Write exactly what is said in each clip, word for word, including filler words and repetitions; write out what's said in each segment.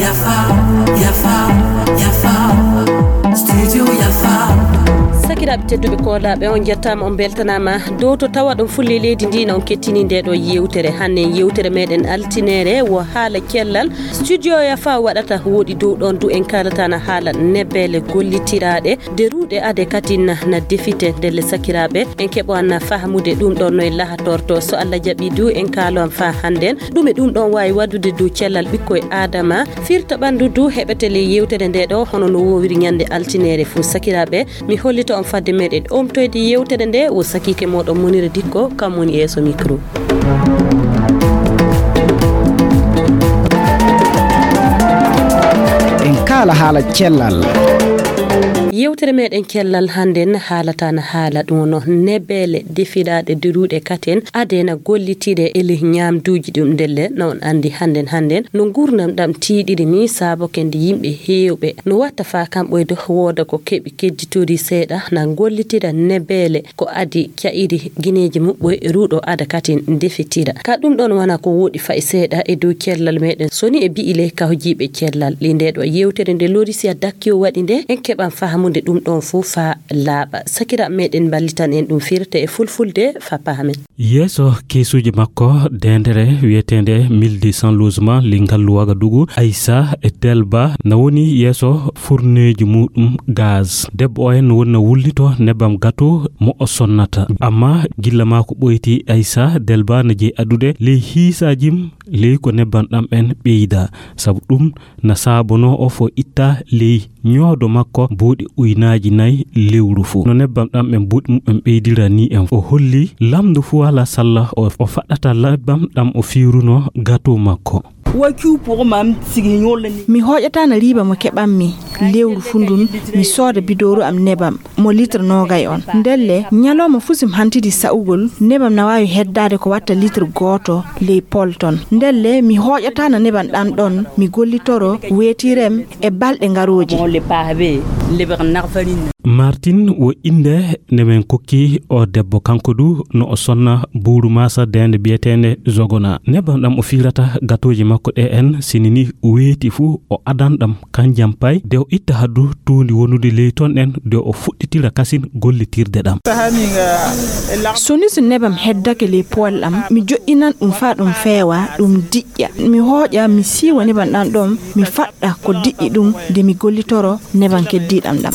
Yafa, yafa, yafa. Studio yafa. Sakiraaɓe tedduɓe koolaaɓe, on njettaama, on mbeltanaama. Dow to tawa ɗon fulle leydi ndi, na on kettini nde ɗo yewtere. Hannde yewtere meɗen altineere wo haala cellal. Studio yafa waɗata woɗi dow ɗon du en kaalata na haala nebbele gollitiraaɗe. Deruɗe ade katin na defite ndelle sakiraaɓe. En keɓo an na fahamude ɗum ɗon noye lahatorto. So Allah jaɓi du en kaalo am fa hannden. Ɗum e ɗum ɗon waawi waɗude dow cellal ɓikkoy Aadama. Firta ɓanndu du heɓete ley yewtere nde ɗo, hono no woowiri ñande altineere fuu. Sakiraaɓe, mi hollita on fadde meɗen omtoyde yewtere nde, wo sakiike moɗon Munira Dikko, kam woni yeeso micro. En kaala haala cellal. Yewtere meɗen cellal hannden haalata na haala ɗum no nebbele defiraaɗe deruɗe katen adena gollitire e leh ñaamduuji ɗum ndelle. No on anndi hannden hannden no nguurndam ɗam tiiɗiri ni, saabo kende yimɓe heewɓe no watta faa kam ɓoyde wooda ko keɓi kedditori seeɗa na gollitira nebbele ko adi ca'iri gineeji muɓɓoy ruuɗo ada katin defitira. Ka ɗum ɗon wana ko woɗi fa'i seeɗa e dow cellal meɗen soni e bi'i leh kawjiiɓe cellal. Li nde ɗo yewtere nde Lorisia Dakkiyo waɗi nde, en keɓan fahamude ɗum ɗon fuu faa laaɓa. Sakiraaɓe meɗen mballitan en ɗum firte e fulfulde faa pahamen. Yeeso keesuuji makko, deendere wiyeteende mille deux cents logement, li ngallu Wagadugu, Aissa e Delba, na woni yeeso furneeji muɗum gaz. Debbo o en woni na wullito nebbam gato mo o sonnata. Amma gilla maa ko ɓoyti Aissa, Delba na jeyi adude ley hiisaajim, ley ko nebbam ɗam en ɓeyda. Sabu ɗum na saabonoo o fo itta ley ñoodo makko buuɗi uynaaji nayi lewru fuu. No nebbam ɗam en buuɗi muɓɓen ɓeydira ni en. O holli lamndu fuu alaa salla o, o faɗɗata nebbam ɗam o fiirunoo gato makko. Mi hooƴataa na riiba mo keɓanmi lewru fuu ndun, mi sooda bidooru am nebam mo litre noogay on. Ndelle, ñalooma fuu si mi hantidi sa'ugol, nebam na waawi heddaade ko watta litre gooto ley pol ton. Ndelle, mi hooƴataa na nebam ɗan ɗon, mi gollitoro weetirem e balɗe ngarooje. Martin wo innde nde men kokki o debbo. Kanko du no o sonna buuru maasa deende biyeteende Zogona. Nebam ɗam o fiirata gatooji makko ɗe en, sini ni weeti fuu o adan ɗam kanjam pay, de o itta haddu tuundi wonude ley ton ɗen, de o fuɗɗitira kasin gollitirde ɗam. So ni so nebam heddake ley pool am, mi joɗɗinan ɗum faa ɗum feewa, ɗum diƴƴa. Mi hooƴa, mi siiwa nebam ɗam ɗon, mi faɗɗa ko diƴƴi ɗum, de mi gollitoro nebam keddiiɗam ɗam.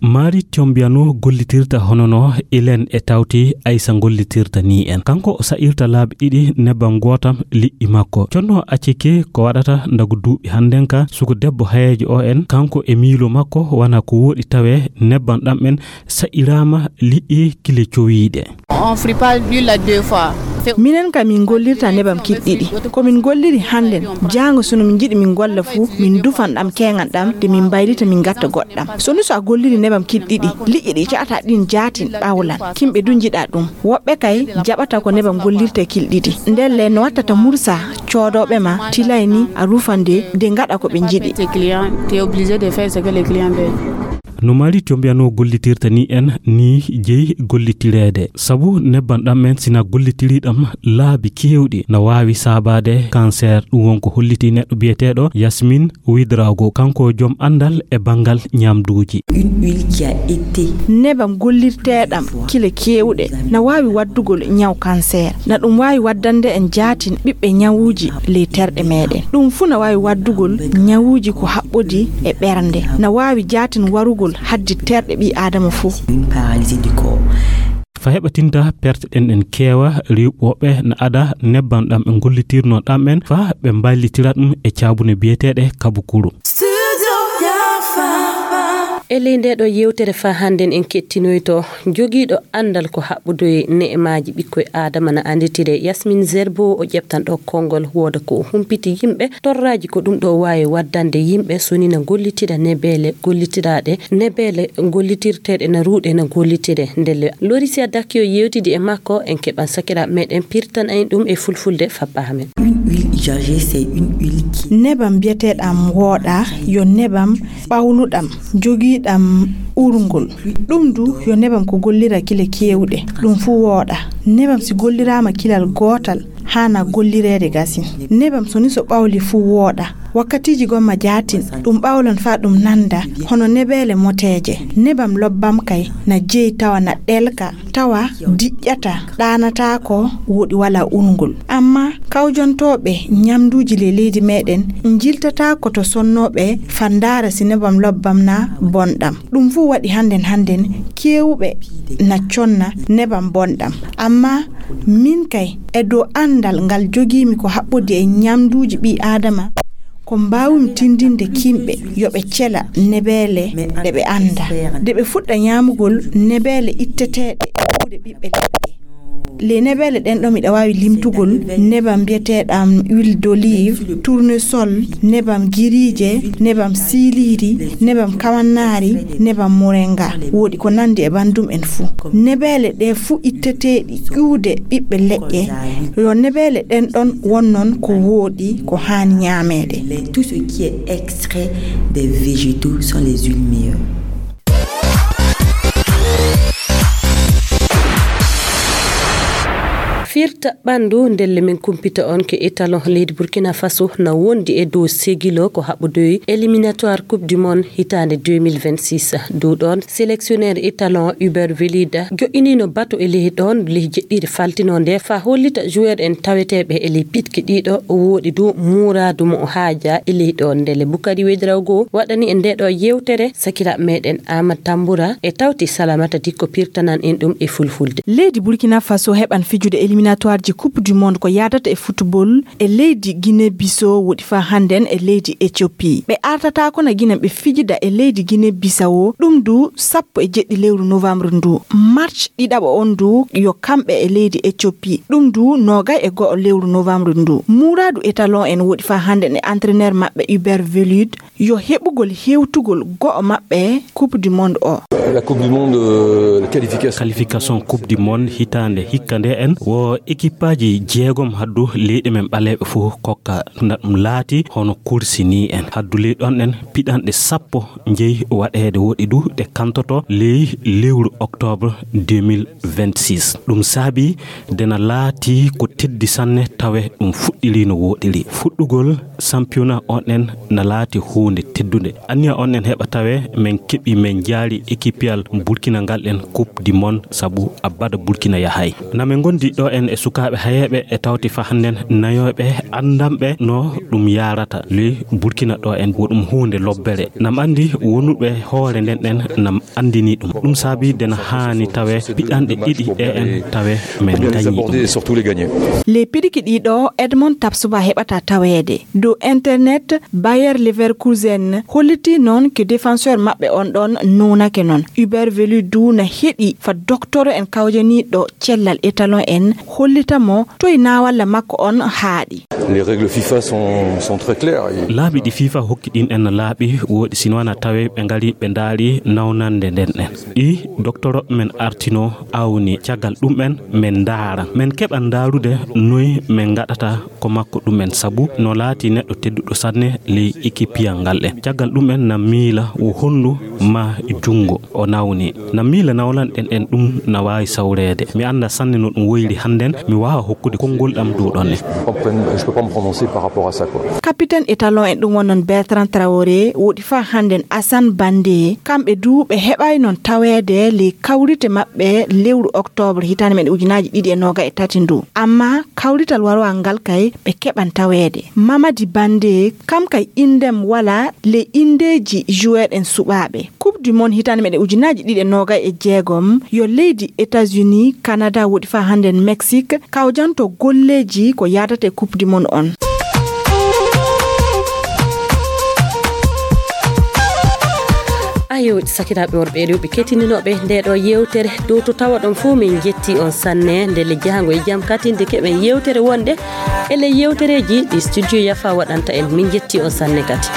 Mari Tiombiano gollitirta hono no Ilen e tawti Aysa gollitirta ni en. Kanko o sa'irta laabi ɗiɗi nebbam gootam liƴƴi makko. Conno Aceke ko waɗata ndagu duuɓi hannden ka, suku debbo hayeejo o en, kanko e miilo makko wana ko woɗi tawe nebbam ɗam en sa'iraama liƴƴi kile cowiiɗe. Minen ka min gollirta nebam kil ɗiɗi. Ko min golliri hannden, jaango so no min njiɗi min golla fuu, min dufan ɗam keeŋan ɗam, de min mbaylita min ngatta goɗɗam. So nu so a golliri nebam kil ɗiɗi, liƴƴi ɗi ca'ata ɗin jaatin ɓawlan. Kimɓe du njiɗa ɗum. Woɓɓe kay jaɓata ko nebam gollirte kil ɗiɗi. Ndelle no wattata mursa coodooɓe ma tilay ni a rufan de, de ngaɗa ko ɓe njiɗi. No Mari Tiombiano gollitirta ni en ni jeyi gollitireede. Sabu nebban ɗam en sina gollitiri ɗam laabi keewɗi na waawi saabaade kanseer. Ɗum won ko holliti neɗɗo biyeteeɗo Yasmin Widrago, kanko jom anndal e banngal ñamduuji. Nebam gollirteeɗam kile keewɗe na waawi waddugol ñaw kanseer. Na ɗum waawi waddande en jaatin ɓiɓɓe ñawuuji ley terɗe meeɗen. Ɗum fuu na waawi waddugol ñawuuji ko haɓɓodi e ɓernde. Na waawi jaatin warugol haddi terɗe ɓii Aadama fuu. Fa heɓatinta perte ɗen en keewa, rewɓe woɓɓe na ada nebban ɗam ɓe gollitirno ɗam en fa ɓe mballitira ɗum e caabune biyeteeɗe kabukuru. E ley nde ɗo yewtere fa hannden en kettinoyto jogiiɗo anndal ko haɓɓudoye ne'emaaji ɓikkoy Aadama na annditire Yasmin Zerbo, o ƴeftan ɗo konngol wooda ko o humpiti yimɓe torraaji ko ɗum ɗo waawi waddande yimɓe sonina gollitira nebeele gollitiraaɗe, nebeele gollitirteeɗe na ruuɗe na gollitire. Ndelle Lorisia Dakio yewtidi e makko, en keɓan sakiraaɓe meɗen pirtan en ɗum e fulfulde fappa amen. Jager, c'est une huile qui Nebam biyeteeɗam wooɗa yo nebam ɓawluɗam jogiiɗam urngol. Ɗum du yo nebam ko gollira kile keewɗe, ɗum fuu wooɗa. Nebam si golliraama kilal gootal, haana gollireede gasin. Nebam so ni so ɓawli fuu wooɗa. Wakkatiiji gomma jaatin, ɗum ɓawlan faa ɗum nanda, hono nebeele moteeje. Nebam lobbam kay na jeyi tawa na ɗelka, tawa diƴƴata, ɗaanataako, woɗi walaa urngol. Amma kawjontooɓe ñamduuji ley leydi meeɗen njiltataa ko to sonnooɓe fandaara si nebam lobbam na bonɗam. Ɗum fuu waɗi hannden hannden keewuɓe na conna nebam bonɗam. Amma min kay, e dow anndal ngal jogiimi ko haɓɓodi e ñamduuji ɓii Aadama, ko mbaawmi tindinde kimɓe yo ɓe cela nebeele ɗe ɓe annda. Nde ɓe fuɗɗa ñaamugol nebeele itteteeɗe e kuuɗe ɓiɓɓe leɗɗe. Ley nebeele ɗen ɗo miɗa waawi limtugol nebam mbiyeteeɗam huile d'olive, tournesol, nebam giriije, nebam siiliiri, nebam kawannaari, nebam moringa. Woodi ko nandi e banndum en fuu. Nebeele ɗe fuu itteteeɗi ƴuude ɓiɓɓe leƴƴe, yo nebeele ɗen ɗon won non ko wooɗi ko haani ñaameede. Tout ce qui est extrait des végétaux sont les huiles meilleures. Firta ɓanndu ndelle min kumpita on ke étalon leydi Burkina Faso na wondi e dow segilo ko haɓɓodoyi éliminatoire Coupe du Monde hitaande deux mille vingt-six. Dow ɗon sélectionneur étalon Hubert Velida joƴƴinino bato e ley ɗon ley jeɗɗiire faltino nde fa hollita joueur en taweteeɓe e ley piɗki ɗiɗo o woɗi du muuraadu mo o haaja e ley ɗon ndele Bukari Wedraogo waɗani en nde ɗo yewtere sakira meɗen Ama Tambura e tawti Salamata Dikko pirtanan en ɗum e fulfulde. Leydi Burkina Faso heɓan fijude éliminatoireji Coupe du Monde ko yadata e football e leydi Guinée Bissau woɗi fa hannden e leydi Éthiopie. Ɓe artata ko na Guinée ɓe fijida e leydi Guinée Bissau ɗum du sappo e jeɗɗi lewru novembre ndu. March ɗiɗaɓo on du yo kamɓe e leydi Éthiopie ɗum du nogay e go'o lewru novembre ndu. Muuradu étalon en woɗi fa hannden e entraîneur maɓɓe Hubert Velud yo heɓugol hewtugol go'o maɓɓe Coupe du Monde o. La Coupe du Monde, euh, la qualification. Qualification Coupe du Monde hitaande hikka nde en wo équipeaji jeegom haddu leyɗe men ɓaleeɓe fof kokka na ɗum laati hono kursi ni en. Haddu ley ɗon en piɗanɗe sappo njeyi waɗeede woɗi du ɗe kantoto ley lewru octobre deux mille vingt-six. Ɗum saabi dena laati ko teddi sanne tawe ɗum fuɗɗiri no woɗiri. Fuɗɗugol championnat on en na laati huunde teddunde. Anniya on en heɓa tawe men keɓi men jaari équipeyal Burkina ngal en Coupe du Monde sabu abada Burkina yahay. Na men gondi ɗo en e sukaaɓe hayeeɓe e tawti fa hannden nayoɓe anndanɓe no ɗum yaarata. Ley Burkina ɗo en wo ɗum huunde lobbere. Nam anndi wonuɓe hoore nden ɗen nam anndini ɗum. Ɗum saabi dena haani tawe piɗanɗe ɗiɗi ɗe en tawe men gañi ɗum. Les piɗiki ɗiɗo Edmond Tapsoba heɓata taweede. Dow internet, Bayer Leverkusen holliti noon ke défenseur maɓɓe on ɗon nunake noon. Hubert Velud du na heɗi fa doktoro en kawjaniiɗo cellal étalon en hollita mo toy naawalla makko on haaɗi. Les règles FIFA sont, sont très claires. Laabi ɗi FIFA hokki ɗin en laaɓi woɗi sino wana tawe ɓe ngari ɓe ndaari nawnande nden en. Ɗi doktoro men artino awni caggal ɗum en men ndaara. Men keɓa ndaarude noy men ngaɗata ko makko ɗum en sabu no laati neɗɗo tedduɗo sanne ley équipeyal ngal en. Caggal ɗum en na miila wo hondu ma junngo o nawni. Na miila nawlan ɗen en ɗum na waawi sawreede. Mi annda sanne no ɗum woyri hannden mi waawa hokkude konngol ɗam dow ɗon en. Je peux pas me prononcer par rapport à ça, quoi. Capitaine étalon en ɗum won noon Bertrand Traoré woɗi fa hannden Assane Bande kamɓe du ɓe heɓay noon taweede ley kawrite maɓɓe lewru octobre hitaande men ujunaaji ɗiɗi e nooga e tati ndu. Amma kawrital warowal ngal kay ɓe keɓan taweede. Mamadi Bande kam kay inndem wala ley inndeeji joueur en suɓaaɓe. Coupe du Monde hitaande meɗen ujunaaji ɗiɗi e noogay e jeegom yo leydi États-Unis, Canada woɗi fa hannden Mexique kawjanto golleeji ko yaadata e Coupe du Monde on. Ayo, sakiraaɓe worɓe e rewɓe kettiniiɓe nde ɗo yewtere dow to tawa ɗon fof min njetti on sanne nde le jahango e jam katinde keɓen yewtere wonde e le yewtereeji ɗi studio yafa waɗanta en min njetti on sanne kadi.